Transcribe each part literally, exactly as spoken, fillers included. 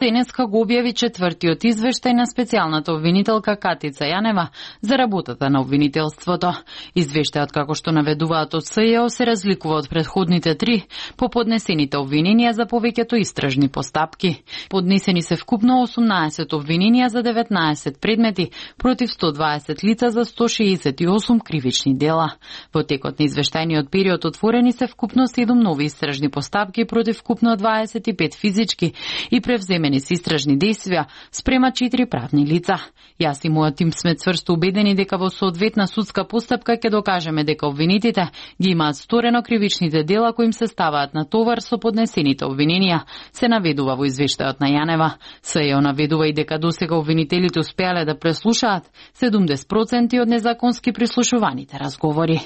денеска го објави четвртиот извештај на специјалната обвинителка Катица Јанева за работата на обвинителството. Извештајот, како што наведуваат од С Ј О, се разликува од претходните три по поднесените обвиненија за повеќето истражни постапки. Поднесени се вкупно осумнаесет обвиненија за деветнаесет предмети против сто дваесет лица за сто шеесет и осум кривични дела. Во текот на извештајниот период отворени се вкупно седум нови истражни постапки против вкупно дваесет и пет физички и превземени се истражни действија спрема четири правни лица. Јас и мојот тим сме цврсто убедени дека во соодветна судска постапка ќе докажеме дека обвинетите ги имаат сторено кривичните дела кои им се ставаат на товар со поднесените обвиненија, се наведува во извештајот на Јанева. С Ј О наведува и дека досега обвинителите успеале да преслушаат седумдесет проценти од незаконски прислушуваните разговори.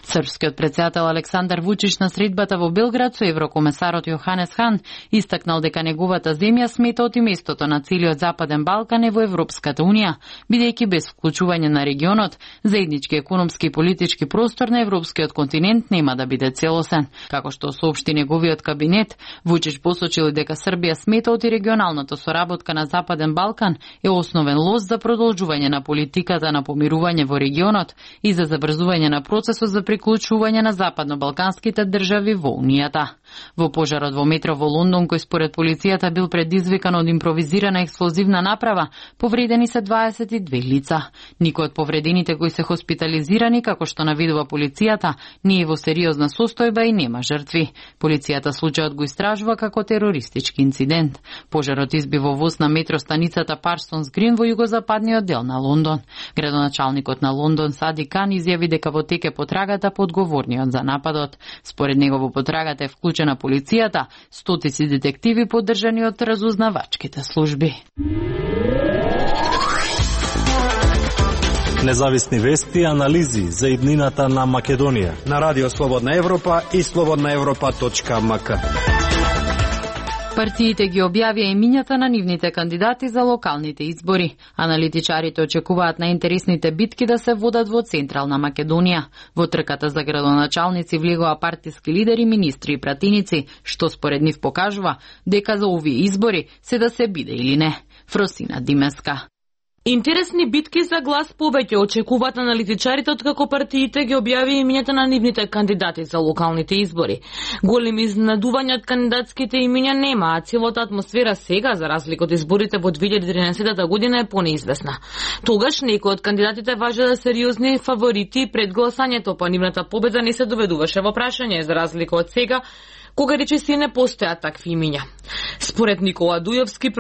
Српскиот претседател Александар Вучич на средбата во Белград со еврокомесарот Јоханес Хан истакнал дека неговата земја смета од и местото на целиот Западен Балкан е во Европската Унија, бидејќи без вклучување на регионот, заеднички економски и политички простор на европскиот континент нема да биде целосен. Како што соопшти неговиот кабинет, Вучич посочил дека Србија смета од и регионалната соработка на Западен Балкан е основен лост за продолжување на политиката на помирување во регионот и за забрзување на процесот за приклучување на западно-балканските држави во Унијата. Во пожарот во метро во Лондон, кој според полицијата бил предизвикан од импровизирана експлозивна направа, повредени се дваесет и две лица. Никој од повредените кои се хоспитализирани, како што наведува полицијата, не е во сериозна состојба и нема жртви. Полицијата случајот го истражува како терористички инцидент. Пожарот изби во воз на метро станицата Парсонс Грин во југозападниот дел на Лондон. Градоначалникот на Лондон Сади Кан изјави дека во тек е потрагата по одговорниот за нападот. Според него во потрагата е вклучена полицијата, стотици детективи поддржани од разузнавачките служби. Независни вести и анализи за иднината на Македонија на Радио Слободна Европа и слободна европа точка ем ка. Партиите ги објавија имињата на нивните кандидати за локалните избори. Аналитичарите очекуваат на интересните битки да се водат во Централна Македонија. Во трката за градоначалници влегоа партиски лидери, министри и пратеници, што според нив покажува дека за овие избори се да се биде или не. Фросина Димеска. Интересни битки за глас повеќе очекуваат аналитичарите откако партиите ги објави имињата на нивните кандидати за локалните избори. Големи изненадувања од кандидатските имиња нема, а целата атмосфера сега, за разлика од изборите во две илјади и тринаесета година, е понеизвестна. Тогаш некои од кандидатите важеле сериозни фаворити пред гласањето, па нивната победа не се доведуваше во прашање, за разлика од сега, кога речиси не постојат такви имиња. Според Никола Дујовски,